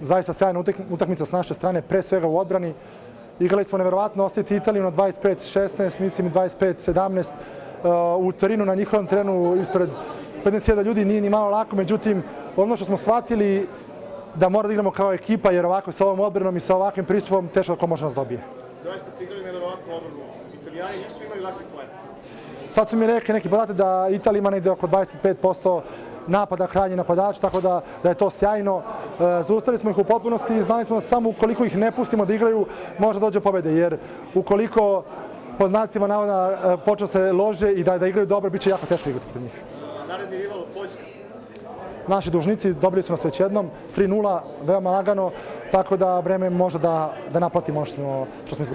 zaista sjajna utakmica s naše strane, pre svega u odbrani. Igrali smo neverovatno, ostaviti Italiju na 25-16, mislim i 25-17. U Torinu na njihovom terenu ispred 15.000 ljudi nije ni malo lako, međutim, ono što smo shvatili da mora da igramo kao ekipa, jer ovako sa ovom odbranom i sa ovakvim pristupom teško da ko može nas dobije. Zaista ste igrali neverovatno odbranu. Italijani nisu imali lakih poena. Sad su mi rekli neki podatak da Italija ima negde oko 25% napada krajnji napadač, tako da je to sjajno. Zaustavili smo ih u potpunosti i znali smo da samo ukoliko ih ne pustimo da igraju, može dođe pobede, jer ukoliko po znacima navoda počne se lože i da igraju dobro, bit će jako teško igrati protiv njih. Naredni rival Poljska. Naši dužnici dobili su nas već jednom, 3-0, veoma lagano, tako da vreme može da naplatimo što smo izgubili.